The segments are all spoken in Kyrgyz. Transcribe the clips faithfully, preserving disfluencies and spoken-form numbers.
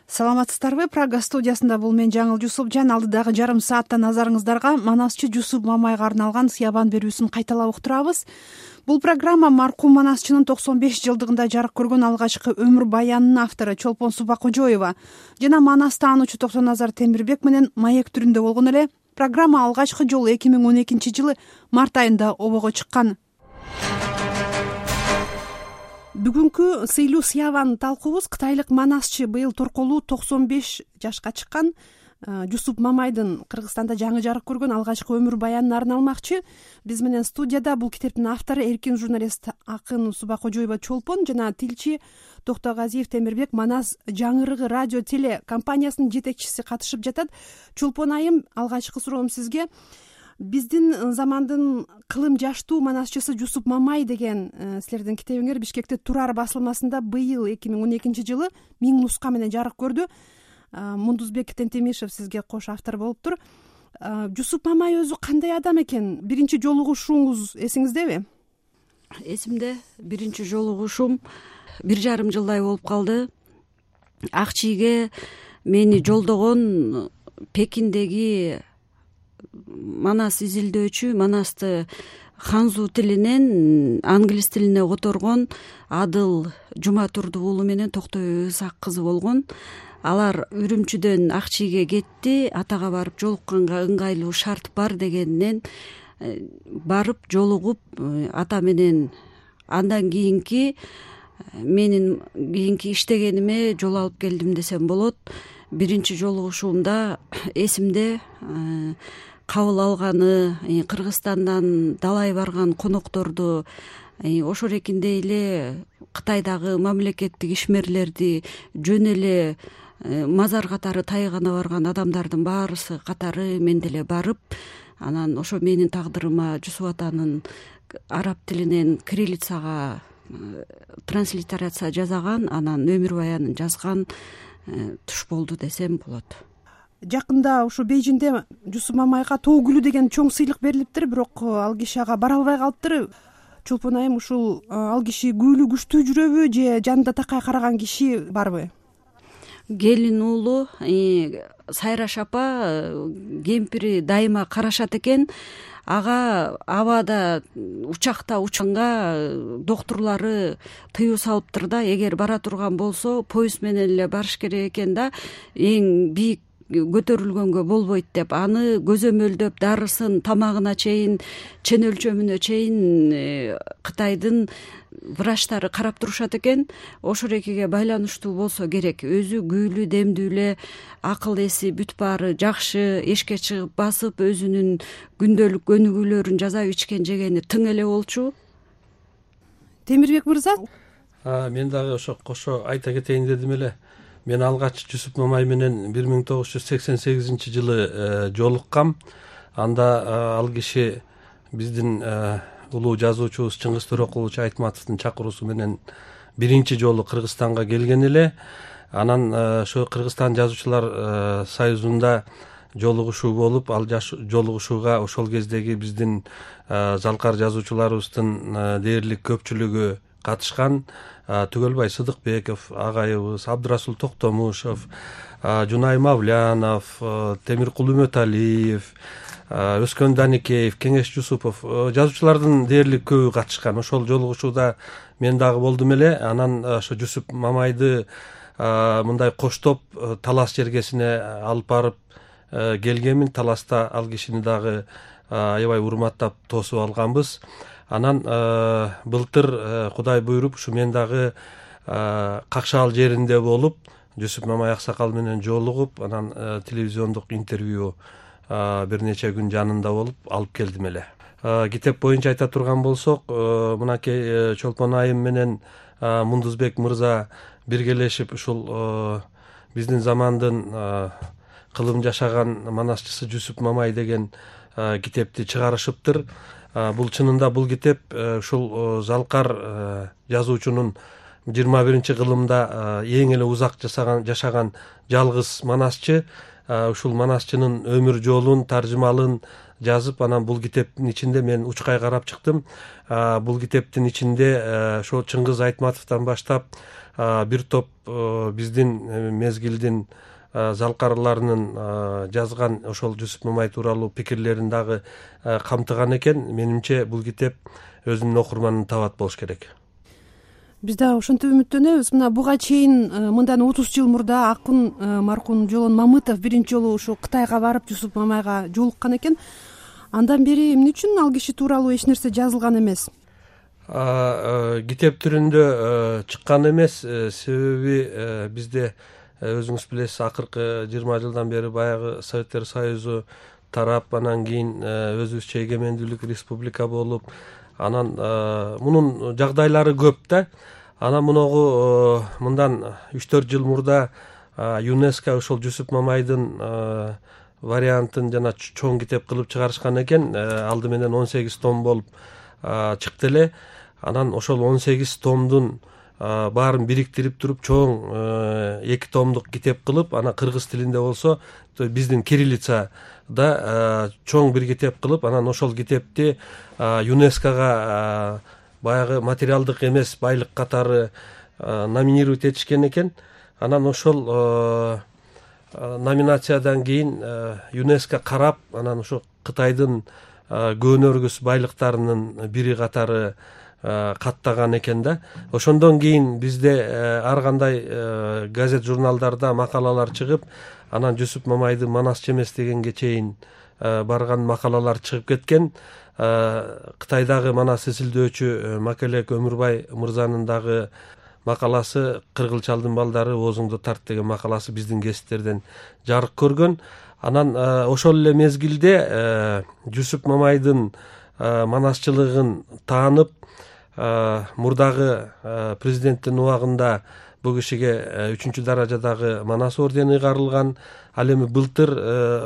Саламатсыздарбы? Прага студиясында бул мен Жаңыл Жусупжан. Алдыдагы жарым саатта назарыңыздарга манасчы Жусуп Мамайга арналган Сыябан берүүсүн кайталап уктурабыз. Бул программа маркум манасчынын токсон беш жылдыгында жарык көргөн алгачкы өмүр баянынын автору Чолпон Субакожоева жана манас таануучу Токтоназар Темирбек менен маек түрүндө болгон эле. Программа алгачкы жолу эки миң он экинчи жылы март айында обого чыккан. Бүгүнкү сыйлуу Сыябан талкуубуз кытайлык манасчы быйыл торколуу токсон беш жашка чыккан Жусуп Мамайдын Кыргызстанда жаңы жарык көргөн алгачкы өмүр баянына арналмакчы. Биз менен студияда бул китептин автору эркин журналист акын Субакожоева Чолпон жана тилчи Токтогазиев Темирбек Манас жаңырыгы радио теле компаниясынын жетекчиси катышып жатат. Чолпон айым, алгачкы суроом сизге. Биздин замандын кылым жаштуу манасчысы Жусуп Мамай деген силердин китебиңер Бишкекте Турар басылмасында быйыл эки миң он экинчи жылы миң нуска менен жарык көрдү. Мундузбек Тентемишев сизге кош автор болуптур. Жусуп Мамай өзү кандай адам экен? Биринчи жолугушууңуз эсиңиздеби? Эсимде. Биринчи жолугушуум бир жарым жылдай болуп калды. Ак чийге мени жолдогон Пекиндеги манас изилдөөчү, манасты ханзу тилинен англис тилине которгон Адыл Жуматурдуу уулу менен Токтой Ысак кызы болгон. Алар Үрүмчүдөн Ак чийге кетти, атага барып жолукканга ыңгайлуу шарт бар дегенинен барып жолугуп, ата менен андан кийинки менин кийинки иштегениме жол алып келдим десем болот. Биринчи жолугушуумда эсимде кабыл алганы, Кыргызстандан далай барган конокторду, ошол эркиндей эле Кытайдагы мамлекеттик ишмерлерди жөн эле мазар катары тайгана барган адамдардын баарысы катары мен деле барып, анан ошо менин тагдырыма Жусуп атанын араб тилинен кириллицага транслитерация жасаган, анан өмүр баянын жазган туш болду десем болот. Жакында ушу Бейжиңде Жусуп Мамайга тоо гүлү деген чоң сыйлык берилиптир, бирок ал киши ага бара албай калыптыр. Чолпон айым, ушул ал киши гүлү күчтүү жүрөбү же жанында такай караган киши барбы? Келин уулу Сайраш апа, кемпири дайыма карашат экен. Ага абада учакта учканга доктурлары тыюу салыптыр да, эгер бара турган болсо поезд менен эле барыш керек экен да, эң бийик көтөрүлгөнгө болбойт деп, аны көзөмөлдөп дарысын, тамагына чейин, чен өлчөмүнө чейин Кытайдын врачтары карап турушат экен. Ошол экиге байланыштуу болсо керек. Өзү күүлүү, демдүү эле, акыл эси бүт баары жакшы, эшикке чыгып басып, өзүнүн күндөлүк өнүгүүлөрүн жасап, ичкен жегени тың эле болчу. Темирбек мырза? Мен дагы ошо кошо айта кетейин дедим эле. Мен алгач Жусуп Мамай менен бир миң тогуз жүз сексен сегизинчи жылы жолуккам. Анда ал киши биздин улуу жазуучубуз Чыңгыз Төрөкулович Айтматовдун чакыруусу менен биринчи жолу Кыргызстанга келген эле. Анан ошо Кыргызстан жазуучулар союзунда жолугушуу болуп, ал жолугушууга ошол кездеги биздин залкар жазуучуларыбыздын дээрлик көпчүлүгү катышкан. Түгөлбай Сыдыкбеков агайыбыз, Абдырасул Токтомушев, Жунай Мавлянов, Темиркул Үмөталиев, Өскөн Даникеев, Кеңеш Жусупов, жазуучулардын дээрлик көбү катышкан. Ошол жолугушууда мен дагы болдум эле. Анан ошо Жусуп Мамайды мындай коштоп Талас жергесине алып барып келгенмин. Таласта ал кишини дагы аябай урматтап тосуп алганбыз. Анан былтыр Кудай буйруп ушу мен дагы Какшаал жеринде болуп, Жусуп Мамай аксакал менен жолугуп, анан телевизиондук интервью бир нече күн жанында болуп алып келдим эле. Китеп боюнча айта турган болсок, мынакей Чолпон айым менен Мундузбек мырза биргелешип ушул биздин замандын кылым жашаган манасчысы Жусуп Мамай деген китепти чыгарышыптыр. Бул чынында бул китеп ушул залкар жазуучунун жыйырма биринчи кылымда эң эле узак жашаган жашаган жалгыз манасчы, ушул манасчынын өмүр жолун, таржымалын жазып, анан бул китептин ичинде мен учкай карап чыктым. Бул китептин ичинде ошо Чыңгыз Айтматовдон баштап бир топ биздин мезгилдин залкарларынын жазган ошол Жусуп Мамай тууралуу пикирлерин дагы камтыган экен. Менимче бул китеп өзүнүн окурманын табат болуш керек. Биз дагы ошентип үмүттөнөбүз. Мына буга чейин мындан отуз жыл мурда акын маркум Жолон Мамытов биринчи жолу ушу Кытайга барып Жусуп Мамайга жолуккан экен. Андан бери эмне үчүн ал киши тууралуу эч нерсе жазылган эмес? Китеп түрүндө чыккан эмес. Себеби бизде өзүңүз билесиз, акыркы жыйырма жылдан бери баягы Советтер Союзу тарап, анан кийин өзүбүзчө эгемендүүлүк республика болуп, анан мунун жагдайлары көп да. Анан муногу мындан үч төрт жыл мурда ЮНЕСКО ошол Жусуп Мамайдын вариантын жана чоң китеп кылып чыгарышкан экен. Алды менен он сегиз том болуп чыкты эле. Анан ошол он сегиз томдун баарын бириктирип туруп чоң эки томдук китеп кылып, анан кыргыз тилинде болсо биздин кириллицада чоң бир китеп кылып, анан ошол китепти ЮНЕСКОга баягы материалдык эмес байлык катары номинировать этишкен экен. Анан ошол номинациядан кийин ЮНЕСКО карап, анан ошо Кытайдын көөнөргүс байлыктарынын бири катары каттаган экен да. Ошондон кийин бизде ар кандай газет журналдарда макалалар чыгып, анан Жусуп Мамайдын Манасчы эмес дегенге чейин барган макалалар чыгып кеткен. Кытайдагы Манас эсилдөөчү Макелек Өмүрбай мырзанын дагы макаласы «Кыргыл чалдын балдары оозуңду тарт» деген макаласы биздин гезиттерден жарык көргөн. Анан ошол эле мезгилде Жусуп Мамайдын манасчылыгын таанып, мурдагы президенттин убагында бул кишиге үчүнчү даражадагы Манас ордени ыйгарылган. Ал эми былтыр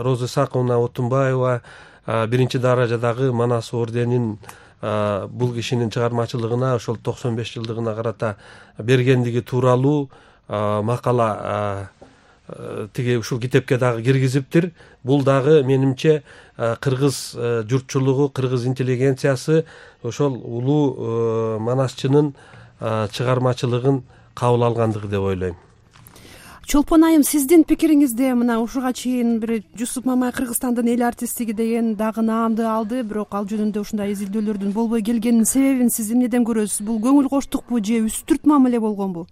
Роза Исаковна Отунбаева биринчи даражадагы Манас орденин бул кишинин чыгармачылыгына, ошол токсон беш жылдыгына карата бергендиги тууралуу макала тиги ушул китепке дагы киргизиптир. Бул дагы менимче кыргыз журтчулугу, кыргыз интеллигенциясы ошол улуу манасчынын чыгармачылыгын кабыл алгандыгы деп ойлойм. Чолпон айым, сиздин пикириңизде мына ушуга чейин бир Жусуп Мамай Кыргызстандын эл артисттиги деген дагы наамды алды, бирок ал жөнүндө ушундай изилдөөлөрдүн болбой келгенинин себебин сиз эмнеден көрөсүз? Бул көңүл коштукпу же үстүрт мамиле болгонбу?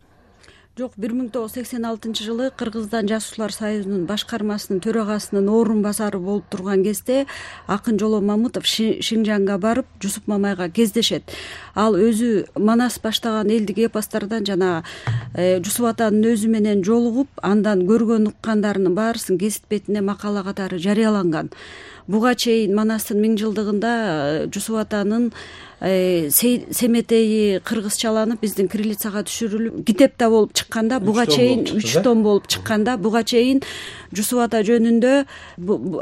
Жок, бир миң тогуз жүз сексен алтынчы жылы Кыргызстан Жашуулар союзунун башкармасынын төрагасынын орун басары болуп турган кезде акын Жолон Мамытов Шинжанга барып Жусуп Мамайга кездешет. Ал өзү Манас баштаган элдик эпостардан жана Жусуп атанын өзү менен жолугуп, андан көргөн уккандарынын баарысын гезит бетине макала катары жарыяланган. Буга чейин Манастын миң жылдыгында Жусуп атанын семетеи кыргызчаланып биздин кириллицага түшүрүлүп китеп да болуп чыкканда, буга чейин үч том болуп чыкканда, буга чейин Жусуп ата жөнүндө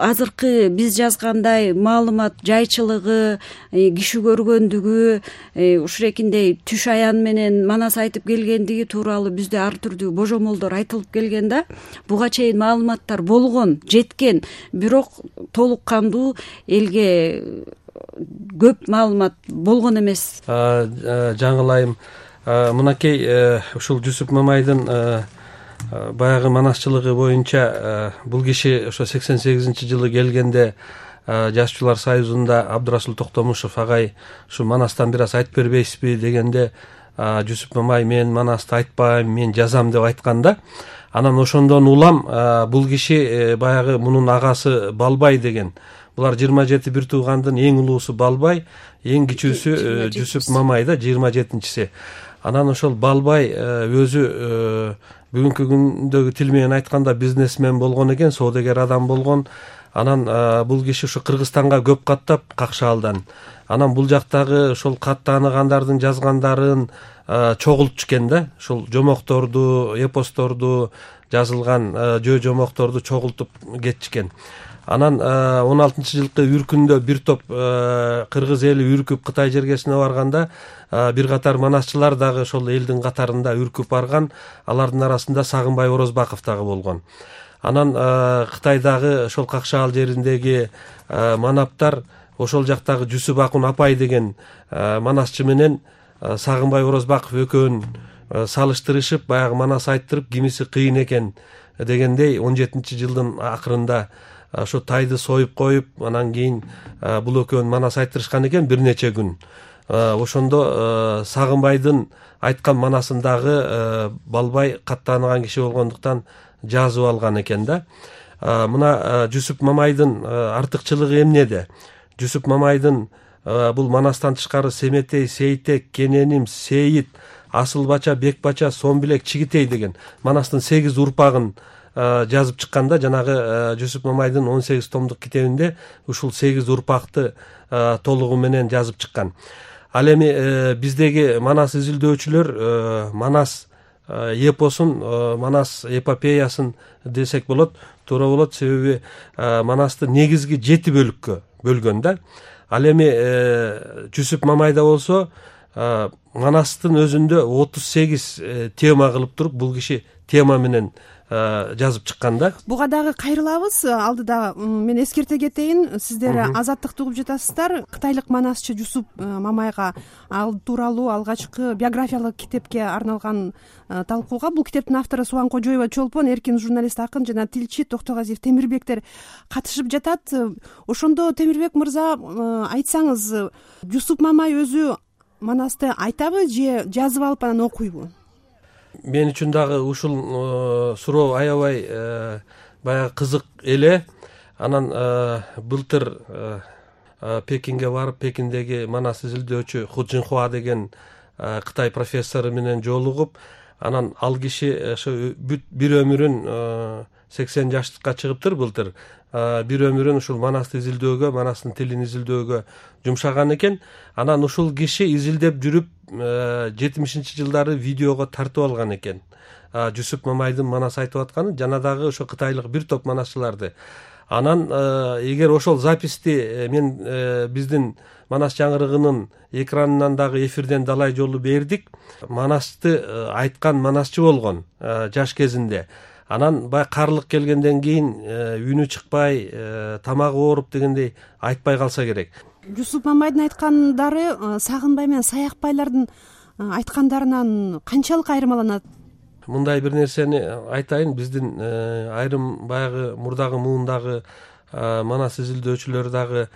азыркы биз жазгандай маалымат жайчылыгы, киши көргөндүгү, ушурекиндей түш аян менен Манас айтып келгендиги тууралуу бизде ар түрдүү божомолдор айтылып келген да. Буга чейин маалыматтар болгон, жеткен, бирок толук кандуу элге көп маалымат болгон эмес. Жаңылайым, мынакей ушул Жусуп Мамайдын баягы манасчылыгы боюнча бул киши ошо сексен сегизинчи жылы келгенде Жашчуулар союзунда Абдырасул Токтомушев агай ушу Манастан бир аз айтып бербейсизби дегенде, Жусуп Мамай мен Манасты айтпайм, мен жазам деп айткан да. Анан ошондон улам бул киши баягы мунун агасы Балбай деген. Булар жыйырма жети бир туугандын эң улуусу Балбай, эң кичүүсү Жусуп Мамай да, жыйырма жетинчиси. Анан ошол Балбай өзү бүгүнкү күндөгү тил менен айтканда бизнесмен болгон экен, соодагер адам болгон. Анан бул киши ушу Кыргызстанга көп каттап Какшаалдан. Анан бул жактагы ошол кат тааныгандардын жазгандарын чогултчу экен да. Ошол жомокторду, эпосторду жазылган жөө жомокторду чогултуп кетишкен. Анан он алтынчы жылкы үркүндө бир топ кыргыз эли үркүп Кытай жергесине барганда бир катар манасчылар дагы ошол элдин катарында үркүп барган. Алардын арасында Сагынбай Орозбаков дагы болгон. Анан Кытайдагы ошол Какшаал жериндеги манаптар ошол жактагы Жусуп Акун апай деген манасчы менен Сагынбай Орозбаков экөөнүн салыштырышып, баягы манас айттырып, кимиси кыйын экен дегендей он жетинчи жылдын акырында ошо тайды союп коюп, анан кийин бул экөөнүн манас айттырышкан экен бир нече күн. Ошондо Сагынбайдын айткан манасындагы Балбай каттаанган киши болгондуктан жазып алган экен да. Мына Жусуп Мамайдын артыкчылыгы эмнеде? Жусуп Мамайдын бул манастан тышкары Семетей, Сейтек, Кененим, Сейит, Асылбача, Бекбача, Сомбилек, Чигитей деген манастын сегиз урпагын жазып чыкканда, жанагы Жусуп Мамайдын он сегиз томдук китебинде ушул сегиз урпакты толугу менен жазып чыккан. Ал эми биздеги манас изилдөөчүлөр манас эпосун, манас эпопеясын десек болот, туура болот, себеби манасты негизги жети бөлүккө бөлгөн да. Ал эми Жусуп Мамайда болсо манастын өзүндө отуз сегиз тема кылып туруп, бул киши тема менен жазып чыккан да. Буга дагы кайрылабыз. Алдыда мен эскерте кетейин, сиздер Азаттыкты угуп жатасыздар. Кытайлык манасчы Жусуп Мамайга ал тууралуу алгачкы биографиялык китепке арналган талкууга бул китептин автору Субан Кожоева Чолпон, эркин журналист, акын жана тилчи Токтогазиев Темирбектер катышып жатат. Ошондо Темирбек мырза, айтсаңыз, Жусуп Мамай өзү манасты айтабы же жазып алып анан окуйбу? Мен үчүн дагы ушул суроо аябай баягы кызык эле. Анан былтыр Пекинге барып, Пекиндеги манас изилдөөчү Ху Жинхуа деген Кытай профессору менен жолугуп, анан ал киши ошо бир өмүрүн сексен жаштыкка чыгыптыр былтыр. Бир өмүрүн ушул манасты изилдөөгө, манастын тилин изилдөөгө жумшаган экен. Анан ушул киши изилдеп жүрүп жетимишинчи жылдары видеого тартып алган экен. Жусуп Мамайдын манас айтып атканын, жана дагы ошо кытайлык бир топ манасчыларды. Анан эгер ошол записти мен биздин Манас жаңырыгынын экранынан дагы эфирден далай жолу бердик. Манасты айткан манасчы болгон жаш кезинде. Анан баягы карлык келгенден кийин үнү чыкпай, тамагы ооруп дегендей айтпай калса керек. Жусуп Мамайдын айткандары Сагынбай менен Саякбайлардын айткандарынан канчалык айырмаланат? Мындай бир нерсени айтайын, биздин айрым баягы мурдагы муундагы манас изилдөөчүлөр дагы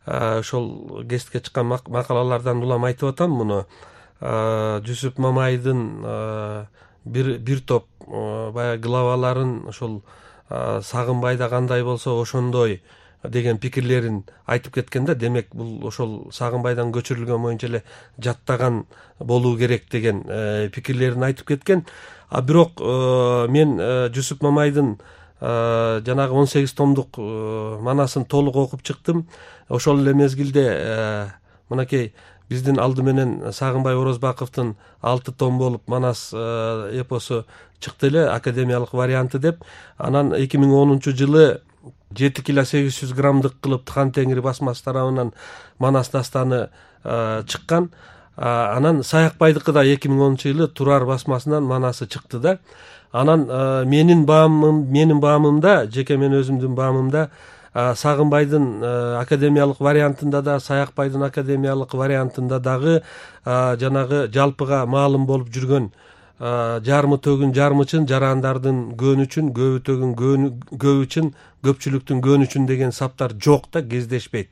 ошол кесипке чыккан макалалардан улам айтып атам муну. Жусуп Мамайдын бир бир топ баягы главаларын ошол Сагынбайда кандай болсо ошондой деген пикирлерин айтып кеткенде, демек бул ошол Сагынбайдан көчүрүлгөн боюнча эле жаттаган болуу керек деген пикирлерин айтып кеткен. А бирок мен Жусуп Мамайдын жанагы он сегиз томдук манасын толук окуп чыктым. Ошол эле мезгилде мынакей биздин алды менен Сагынбай Орозбаковдун алты том болуп манас эпосу чыкты эле, академиялык варианты деп. Анан эки миң онунчу жылы жети кило сегиз жүз граммдык кылып Хан Теңир басмасы тарабынан манас дастаны чыккан. Анан Саякбайдыкы да эки миң онунчу жылы Турар басмасынан манасы чыкты да. Анан менин баамым, менин баамымда, жеке мен өзүмдүн баамымда Сагынбайдын академиялык вариантында да, Саякбайдын академиялык вариантында дагы жанагы жалпыга маалым болуп жүргөн жармы төгүн жармычын, жарандардын көөнүчүн, көбү төгүн көбүчүн, көпчүлүктүн көөнүчүн деген саптар жок да, кездешпейт.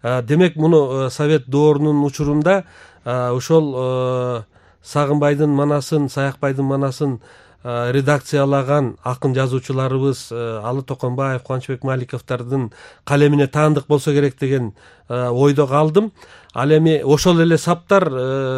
Демек муну Совет доорунун учурунда ошол Сагынбайдын манасын, Саякбайдын манасын редакциялаган акын жазуучуларыбыз Алы Токонбаев, Кубанычбек Маликовдордун калемине таандык болсо керек деген ойдо калдым. Ал эми ошол эле саптар,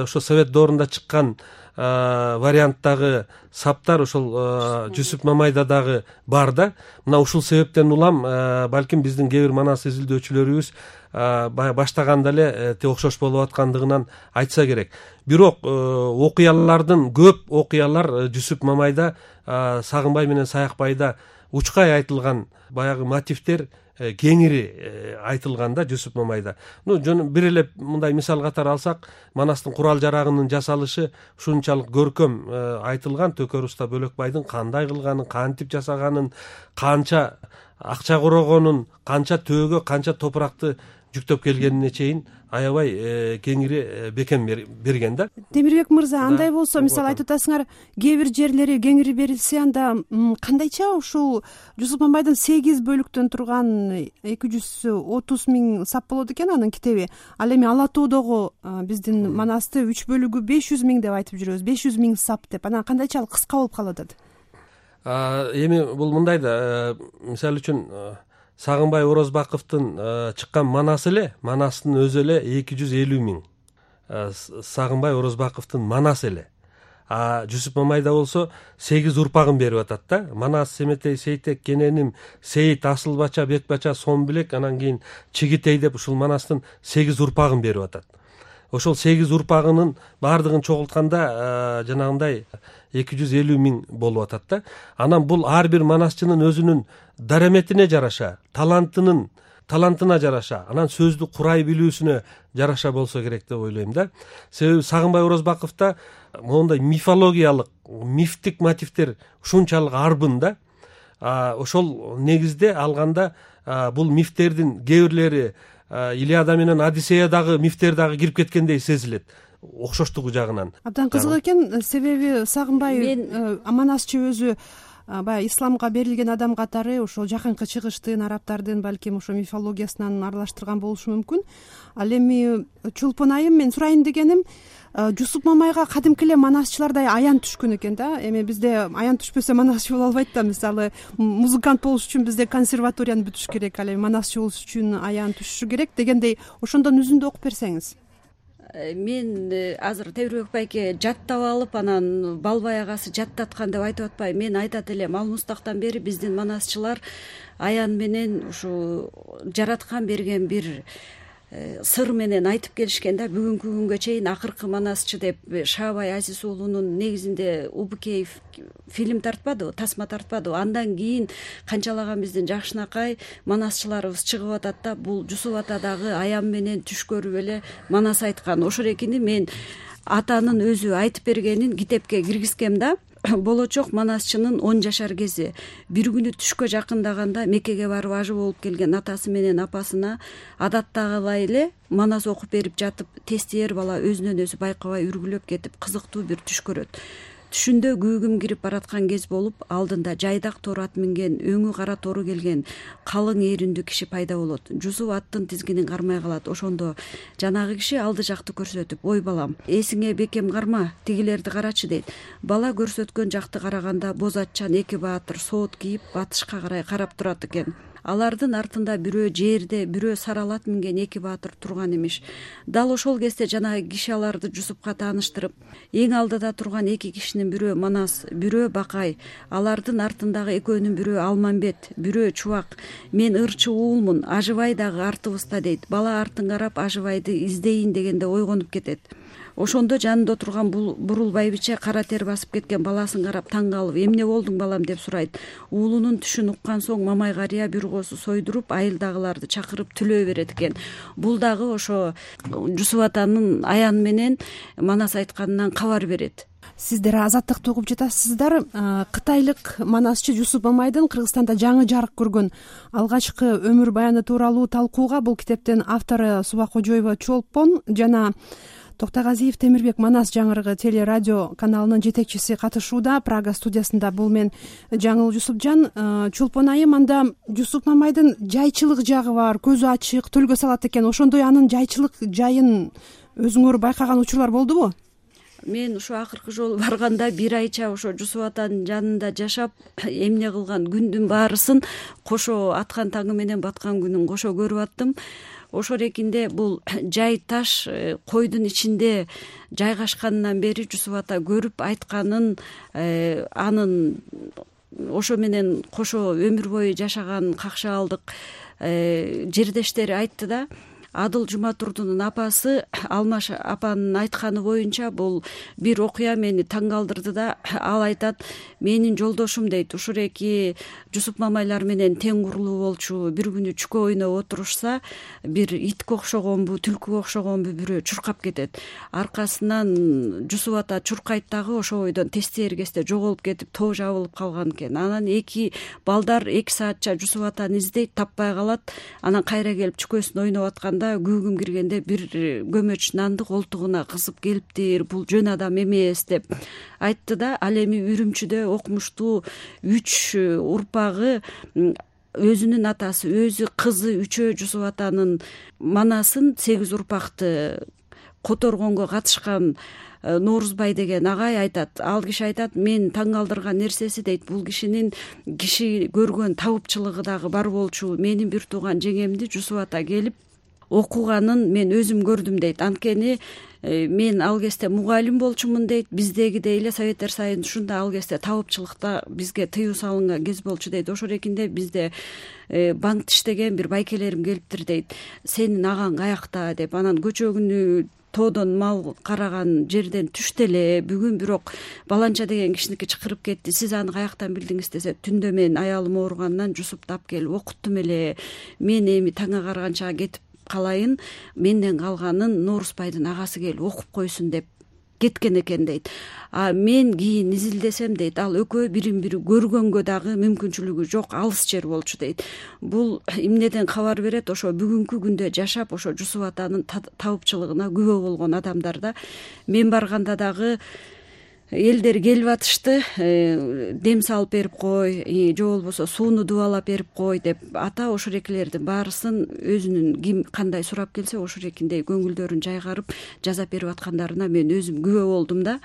ошо Совет доорунда чыккан варианттагы саптар ошол Жусуп Мамайда дагы бар да. Мына ушул себептен улам балким биздин кээ бир манас изилдөөчүлөрүбүз баягы баштаганда эле окшош болуп аткандыгынан айтса керек. Бирок окуялардын көп окуялар Жусуп Мамайда, Сагынбай менен Саякбайда учкай айтылган баягы мотивдер кеңири айтылган да Жусуп Мамайда. Ну бир эле мындай мисал катары алсак, Манастын курал жарагынын жасалышы ушунчалык көркөм айтылган. Төкөр уста Бөлөкбайдын кандай кылганын, кантип жасаганын, канча акча корогонун, канча төөгө канча топуракты жүктөп келгенине чейин аябай кеңири бекем берген да. Темирбек мырза, андай болсо, мисалы айтып атасыңар, кээ бир жерлери кеңири берилсе, анда кандайча ушул Жусуп Мамайдын сегиз бөлүктөн турган эки жүз отуз миң сап болот экен анын китеби. Ал эми Ала тоодогу биздин Манасты үч бөлүгү беш жүз миң деп айтып жүрөбүз, беш жүз миң сап деп. Анан кандайчалык кыска болуп калып атат? Эми бул мындай да, мисалы үчүн Сагынбай Орозбаковдун чыккан Манасы эле, Манастын өзү эле эки жүз элүү миң. Сагынбай Орозбаковдун Манасы эле. А Жусуп Мамайда болсо сегиз урпагын берип атат да. Манас, Семетей, Сейтек, Кененим, Сейит, Асылбача, Бекбача, Сомбилек, анан кийин Чигитей деп ушул Манастын сегиз урпагын берип атат. Ошол сегиз урпагынын баардыгын чогултканда жанагындай эки жүз элүү миң болуп атат да. Анан бул ар бир манасчынын өзүнүн дараметине жараша, талантынын талантына жараша, анан сөздү курай билүүсүнө жараша болсо керек деп ойлойм да. Себеби Сагынбай Орозбаковдо моундай мифологиялык, мифтик мотивдер ушунчалык арбын да. Ошол негизде алганда бул мифтердин кээ бирлери Илиада менен Одиссеядагы мифтер дагы кирип кеткендей сезилет, окшоштугу жагынан. Абдан кызык экен, себеби Сагынбай Манасчы өзү баягы исламга берилген адам катары ошол жакынкы чыгыштын, арабтардын балким ошо мифологиясынан аралаштырган болушу мүмкүн. Ал эми Чолпон айым, мен сурайын дегеним, Жусуп Мамайга кадимки эле манасчылардай аян түшкөн экен да. Эми бизде аян түшпөсө манасчы боло албайт да. Мисалы, музыкант болуш үчүн бизде консерваторияны бүтүш керек, ал эми манасчы болуш үчүн аян түшүшү керек дегендей, ошондон үзүндү окуп берсеңиз. Мен азыр Темирбек байке жаттап алып, анан Балбай агасы жаттаткан деп айтып атпайм. Мен айтат элем, ал мустактан бери биздин манасчылар аян менен ушу жараткан берген бир сыр менен айтып келишкен да. Бүгүнкү күнгө чейин акыркы манасчы деп Шаабай Азиз уулунун негизинде Убукеев фильм тартпадыбы, тасма тартпадыбы. Андан кийин канчалаган биздин жакшынакай манасчыларыбыз чыгып атат да, бул Жусуп ата дагы аян менен түш көрүп эле манас айткан. Ошол экини мен атанын өзү айтып бергенин китепке киргизгем да. Болочок манасчынын он жашар кези бир күнү түшкө жакындаганда Меккеге барып ажы болуп келген атасы менен апасына адаттагылай эле манас окуп берип жатып, тестиер бала өзүнөн өзү байкабай үргүлөп кетип кызыктуу бир түш көрөт. Түшүндө күүгүм кирип бараткан кез болуп, алдында жайдак тор ат минген, өңү кара тору келген калың ээрүндүү киши пайда болот. Жусуп аттын тизгинин кармай калат. Ошондо жанагы киши алды жакты көрсөтүп, ой балам, эсиңе бекем карма, тигилерди карачы дейт. Бала көрсөткөн жакты караганда боз атчан эки баатыр соот кийип батышка карай карап турат экен. Алардын артында бирөө жерде, бирөө саралат минген эки баатыр турган имиш. Дал ошол кезде жанагы киши аларды Жусупка тааныштырып, эң алдыда турган эки кишинин бирөө Манас, бирөө Бакай, алардын артындагы экөөнүн бирөө Алмамбет, бирөө Чубак. Мен ырчы уулмун, Ажыбай дагы артыбызда дейт. Бала артын карап Ажыбайды издейин дегенде ойгонуп кетет. Ошондо жанында турган бурул байбиче кара тер басып кеткен баласын карап таң калып, эмне болдуң балам деп сурайт. Уулунун түшүн уккан соң Мамай карыя бир коосу сойдуруп, айылдагыларды чакырып түлөө берет экен. Бул дагы ошо Жусуп атанын аян менен манас айтканынан кабар берет. Сиздер Азаттыкты угуп жатасыздар. Кытайлык манасчы Жусуп Мамайдын Кыргызстанда жаңы жарык көргөн алгачкы өмүр баяны тууралуу талкууга бул китептин автору Субакожоева Чолпон жана Токтогазиев Темирбек Манас жаңырыгы теле радио каналынын жетекчиси катышууда. Прага студиясында бул мен Жаңыл Жусупжан. Чолпон айым, анда Жусуп Мамайдын жайчылык жагы бар, көзү ачык, төлгө салат экен. Ошондой анын жайчылык жайын өзүңөр байкаган учурлар болдубу? Мен ушу акыркы жолу барганда бир айча ошо Жусуп атанын жанында жашап, эмне кылган күндүн баарысын кошо аткан таңы менен баткан күнүн кошо көрүп аттым. Ошол экинде бул жай таш койдун ичинде жайгашканынан бери Жусуп ата көрүп айтканын, анын ошо менен кошо өмүр бою жашаган какшаалдык жердештери айтты да. Адыл Жуматурдунун апасы Алмаш апанын айтканы боюнча бул бир окуя мени таң калтырды да. Ал айтат, менин жолдошум дейт, ушуреки Жусуп Мамайлар менен тең курлуу болчу, бир күнү чүкө ойноп отурушса, бир итке окшогонбу, түлкүгө окшогонбу бирөө чуркап кетет. Аркасынан Жусуп ата чуркайт дагы, ошол бойдон тесте эргесте жоголуп кетип, тоо жабылып калган экен. Анан эки балдар эки саатча Жусуп атаны издейт, таппай калат. Анан кайра келип чүкөсүн ойноп атканда күүгүм киргенде бир көмөч нанды колтугуна кысып келиптир, бул жөн адам эмес деп айтты да. Ал эми Үрүмчүдө окумуштуу үч урпагы, өзүнүн атасы, өзү, кызы үчөө Жусуп атанын манасын, сегиз урпакты которгонго катышкан Норузбай деген агай айтат. Ал киши айтат, мен таң калтырган нерсеси дейт, бул кишинин киши көргөн табыпчылыгы дагы бар болчу. Менин бир тууган жеңемди Жусуп ата келип окуганын мен өзүм көрдүм дейт. Анткени мен ал кезде мугалим болчумун дейт. Биздегидей эле Советтер Союзунда ал кезде табыпчылыкта бизге тыюу салынган кез болчу дейт. Ошол эркинде бизде банкта иштеген бир байкелерим келиптир дейт. Сенин агаң каякта деп. Анан көчөгүнү тоодон мал караган жерден түштү эле. Бүгүн бирок баланча деген кишиники чакырып кетти. Сиз аны каяктан билдиңиз десе, түндө мен аялым ооругандан Жусупту алып келип окуттум эле. Мен эми таңга караганча кетип калайын, менден калганын Норузбайдын агасы келип окуп койсун деп кеткен экен дейт. А мен кийин изилдесем дейт, ал экөө бирин бири көргөнгө дагы мүмкүнчүлүгү жок, алыс жер болчу дейт. Бул эмнеден кабар берет? Ошо бүгүнкү күндө жашап, ошо Жусуп атанын табыпчылыгына күбө болгон адамдар да. Мен барганда дагы элдер келип атышты, дем салып берип кой, же болбосо сууну дубалап берип кой деп. Ата ошол экилердин баарысын өзүнүн ким кандай сурап келсе, ошол экиндей көңүлдөрүн жайгарып жазап берип аткандарына мен өзүм күбө болдум да.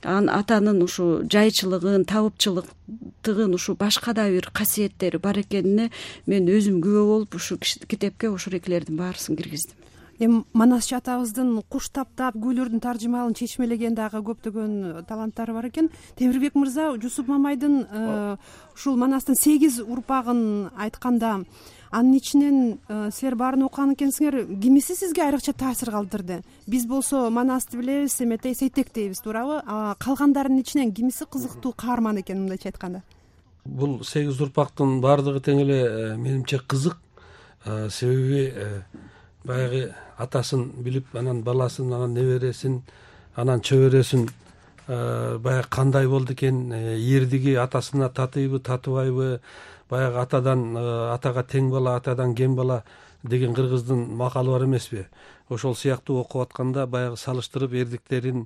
Анан атанын ушу жайчылыгын, табыпчылыктыгын, ушу башка да бир касиеттери бар экенине мен өзүм күбө болуп, ушу китепке ошол экилердин баарысын киргиздим. Эми Манасчы атабыздын куш таптап, күүлөрдүн таржымалын чечмелеген дагы көптөгөн таланттары бар экен. Темирбек мырза, Жусуп Мамайдын ушул Манастын сегиз урпагын айтканда, анын ичинен силер баарын окуган экенсиңер, кимиси сизге айрыкча таасир калтырды? Биз болсо Манасты билебиз, эметей Сейтек дейбиз, туурабы? Калгандарынын ичинен кимиси кызыктуу каарман экен, мындайча айтканда? Бул сегиз урпактын баардыгы тең эле менимче кызык. Себеби баягы атасын билип, анан баласын, анан небересин, анан чөбөрөсүн баягы кандай болду экен, эрдиги атасына татыйбы, татыбайбы, баягы атадан атага тең бала, атадан кем бала деген кыргыздын макалы бар эмеспи? Ошол сыяктуу окуп атканда баягы салыштырып эрдиктерин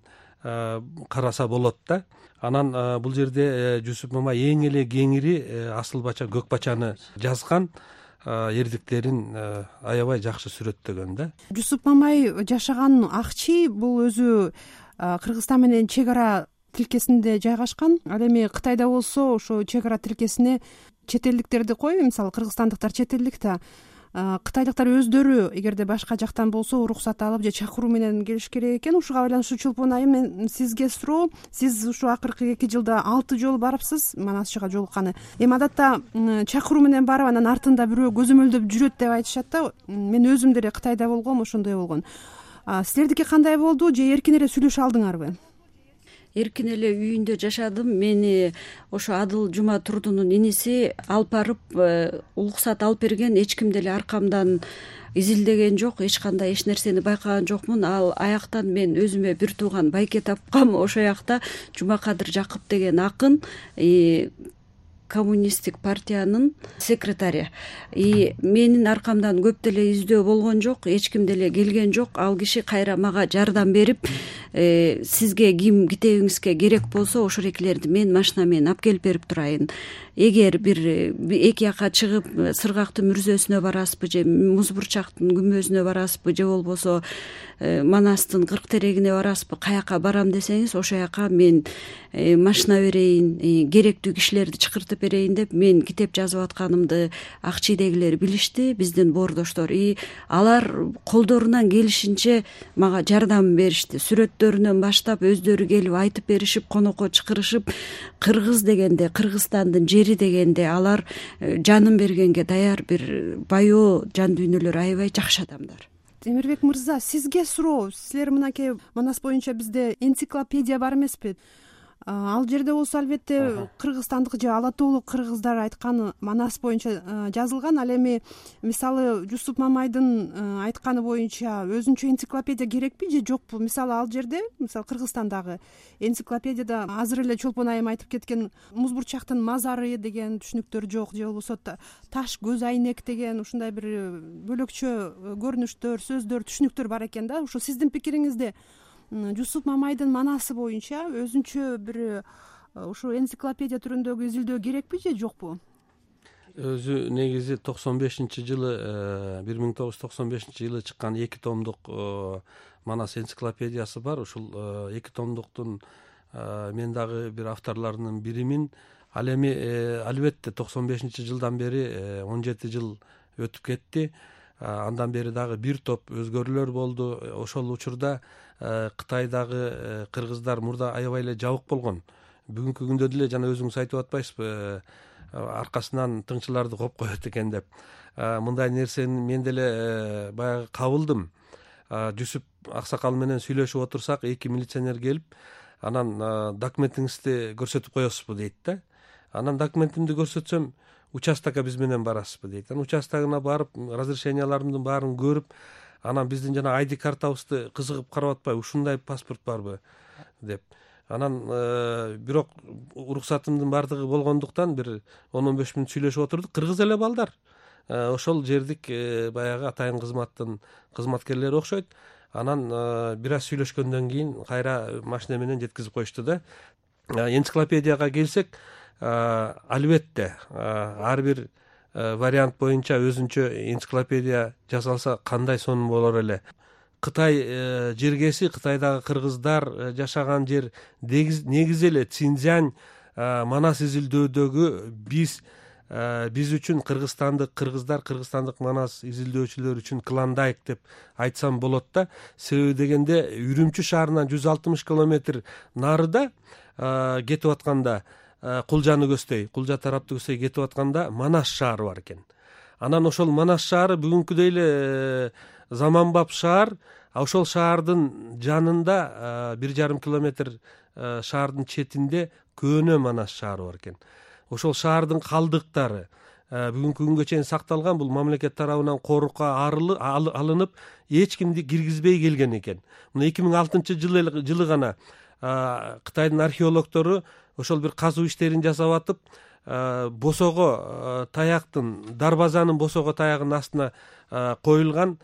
караса болот да. Анан бул жерде Жусуп Мамай эң эле кеңири асыл бача, көк бачаны жазган, эрдиктерин аябай жакшы сүрөттөгөн да. Жусуп Мамай жашаган Акчи бул өзү Кыргызстан менен чек ара тилкесинде жайгашкан. Ал эми Кытайда болсо ошо чек ара тилкесине чет элдиктерди кой, мисалы кыргызстандыктар чет элдик да, кытайлыктар өздөрү эгерде башка жактан болсо уруксат алып же чакыруу менен келиш керек экен. Ушуга байланыштуу Чулпун айым, мен сизге суроо, сиз ушу акыркы эки жылда алты жолу барыпсыз Манасчыга жолукканы. Эми адатта чакыруу менен барып, анан артында бирөө көзөмөлдөп жүрөт деп айтышат да. Мен өзүм деле Кытайда болгом, ошондой болгон. Силердики кандай болду, же эркин эле сүйлөшө алдыңарбы? Эркин эле үйүндө жашадым. Мени ошо Адыл Жуматурдунун иниси алып барып, уруксат алып берген, эч ким деле аркамдан изилдеген жок, эч кандай эч нерсени байкаган жокмун. Ал аяктан мен өзүмө бир тууган байке тапкам. Ошол жакта Жумакадыр Жакып деген акын, коммунисттик партиянын секретари. И менин аркамдан көп деле издөө болгон жок, эч ким деле келген жок. Ал киши кайра мага жардам берип, сизге ким китебиңизге керек болсо ошол экилерди мен машина менен алып келип берип турайын. Эгер бир эки жака чыгып Сыргактын мүрзөсүнө барасызбы, же Музбурчактын күмбөзүнө барасызбы, же болбосо Манастын кырк терегине барасызбы, каяка барам десеңиз, ошол жака мен машина берейин, керектүү кишилерди чакыртып берейин деп мен китеп жазып атканымды Акчийдегилер билишти, биздин боордоштор. И алар колдорунан келишинче мага жардам беришти. Сүрөттөрүнөн баштап өздөрү келип айтып беришип, конокко чакырышып, кыргыз дегенде, Кыргызстандын жери дегенде алар жанын бергенге даяр бир баяу жан дүйнөлөр, аябай жакшы адамдар. темирбек мырза, сизге суроо. Силер мынакей Манас боюнча бизде энциклопедия бар эмеспи? Ал жерде болсо албетте кыргызстандык же ала тоолук кыргыздар айтканы Манас боюнча жазылган. Ал эми мисалы Жусуп Мамайдын айтканы боюнча өзүнчө энциклопедия керекпи же жокпу? Мисалы ал жерде, мисалы Кыргызстандагы энциклопедияда азыр эле Чолпон айым айтып кеткен Музбурчактын мазары деген түшүнүктөр жок, же болбосо таш көз айнек деген ушундай бир бөлөкчө көрүнүштөр, сөздөр, түшүнүктөр бар экен да. Ошо сиздин пикириңизде Жусуп Мамайдын манасы боюнча өзүнчө бир ушу энциклопедия түрүндөгү изилдөө керекпи же жокпу? Өзү негизи токсон бешинчи жылы бир миң тогуз жүз токсон бешинчи жылы чыккан эки томдук Манас энциклопедиясы бар. Ушул эки томдуктун мен дагы бир авторлорунун биримин. Ал эми албетте токсон бешинчи жылдан бери он жети жыл өтүп кетти. Андан бери дагы бир топ өзгөрүүлөр болду. Ошол учурда Кытайдагы кыргыздар мурда аябай эле жабык болгон. Бүгүнкү күндө деле жана өзүңүз айтып атпайсызбы, аркасынан тыңчыларды коп коет экен деп. Мындай нерсени мен деле баягы кабылдым. Жусуп аксакал менен сүйлөшүп отурсак, эки милиционер келип, анан документиңизди көрсөтүп коесузбу дейт да. Анан документимди көрсөтсөм, участокко биз менен барасызбы дейт. Анан участогуна барып, разрешенияларымдын баарын көрүп, анан биздин жана айди картабызды кызыгып карап атпайбы, ушундай паспорт барбы деп. Анан бирок уруксатымдын баардыгы болгондуктан бир он он беш мүнөт сүйлөшүп отурдук. Кыргыз эле балдар. Ошол жердик баягы атайын кызматтын кызматкерлери окшойт. Анан бир аз сүйлөшкөндөн кийин кайра машина менен жеткизип коюшту да. Энциклопедияга келсек, албетте ар бир вариант боюнча өзүнчө энциклопедия жасалса кандай сонун болор эле. Кытай жергеси, Кытайдагы кыргыздар жашаган жер негизи эле Цинцзянь Манас изилдөөдөгү биз биз үчүн кыргызстандык кыргыздар, кыргызстандык Манас изилдөөчүлөр үчүн клондайк деп айтсам болот да. Себеби дегенде Үрүмчү шаарынан жүз алтымыш километр нарыда кетип атканда, Кулжаны көздөй, Кулжа тарапты көздөй кетип атканда Манас шаары бар экен. Анан ошол Манас шаары бүгүнкүдөй эле заманбап шаар. Ошол шаардын жанында бир жарым километр шаардын четинде көөнө Манас шаары бар экен. Ошол шаардын калдыктары бүгүнкү күнгө чейин сакталган. Бул мамлекет тарабынан корукка алынып, эч кимди киргизбей келген экен. Мына эки миң алтынчы жылы гана Кытайдын археологдору ошол бир казуу иштерин жасап атып, босого таяктын, дарбазанын босого таягынын астына коюлган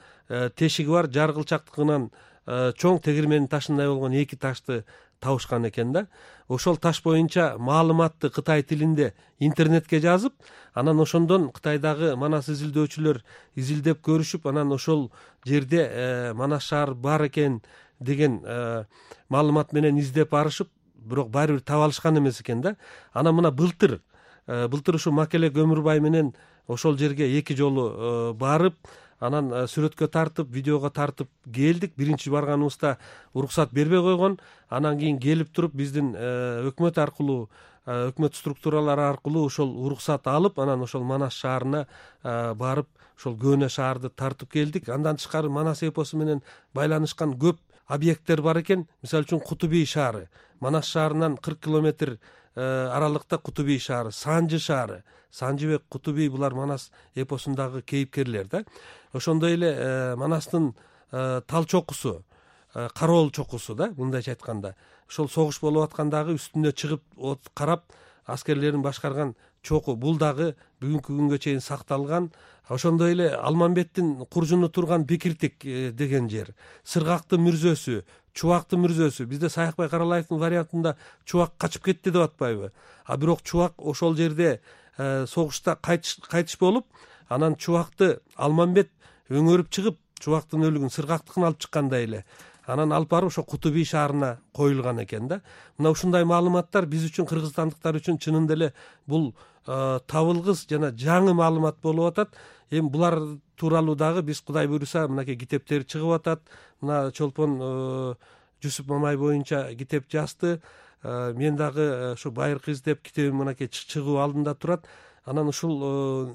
тешиги бар, жаргылчактыгынан чоң тегирменин ташындай болгон эки ташты табышкан экен да. Ошол таш боюнча маалыматты Кытай тилинде интернетке жазып, анан ошондон Кытайдагы Манас изилдөөчүлөр изилдеп көрүшүп, анан ошол жерде Манас шаар бар экен деген маалымат менен издеп барышып, бирок баары бир таба алышкан эмес экен да. Анан мына былтыр, былтыр ушу Макелек Өмүрбай менен ошол жерге эки жолу барып, анан сүрөткө тартып, видеого тартып келдик. Биринчи барганыбызда уруксат бербей койгон. Анан кийин келип туруп биздин өкмөт аркылуу, өкмөт структуралары аркылуу ошол уруксат алып, анан ошол Манас шаарына барып, ошол көөнө шаарды тартып келдик. Андан тышкары Манас эпосу менен байланышкан көп объекттер бар экен. Мисалы үчүн Кутубий шаары, Манас шаарынан кырк километр аралыкта Кутубий шаары, Санжы шаары, Санжыбек, Кутубий булар Манас эпосундагы кейипкерлер да. Ошондой эле Манастын тал чокусу, Кароол чокусу да, мындайча айтканда. Ошол согуш болуп аткандагы үстүнө чыгып карап аскерлерин башкарган чоку, бул дагы бүгүнкү күнгө чейин сакталган. Ошондой эле Алмамбеттин куржуну турган Бекиртик деген жер, Сыргактын мүрзөсү, Чубактын мүрзөсү. Бизде Саякбай Каралаевдин вариантында Чубак качып кетти деп атпайбы? А бирок Чубак ошол жерде согушта кайтыш болуп, анан Чубакты Алмамбет өңөрүп чыгып, Чубактын өлүгүн, Сыргактыкын алып чыккандай эле анан алып барып ошо Кутубий шаарына коюлган экен да. Мына ушундай маалыматтар биз үчүн, кыргызстандыктар үчүн чынында эле бул табылгыс жана жаңы маалымат болуп атат. Эми булар тууралуу дагы биз Кудай буйруса мынакей китептер чыгып атат. Мына Чолпон Жусуп Мамай боюнча китеп жазды. Мен дагы ошо Байыркы издеп китебим мынакей чыгуу алдында турат. анан ушул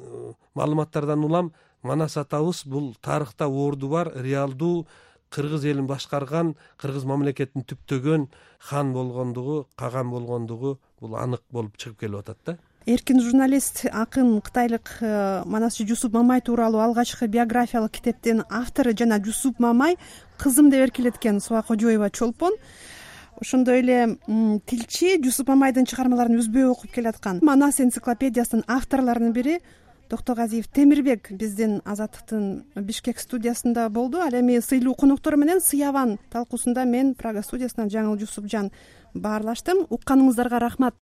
маалыматтардан улам Манас атабыз бул тарыхта орду бар реалдуу кыргыз элин башкарган, кыргыз мамлекетин түптөгөн хан болгондугу, каган болгондугу бул анык болуп чыгып келип атат да. Эркин журналист, акын кытайлык Манасчы Жусуп Мамай тууралуу алгачкы биографиялык китептин автору жана Жусуп Мамай кызым деп эркелеткен Суа Кожоева Чолпон. Ошондой эле тилчи Жусуп Мамайдын чыгармаларын үзбөй окуп келаткан Манас энциклопедиясынын авторлорунун бири Токтогазиев Темирбек биздин Азаттыктын Бишкек студиясында болду. Ал эми сыйлуу коноктору менен Сыяван талкуусунда мен Прага студиясынан Жаңыл Жусупжан баарлаштым. Укканыңыздарга рахмат.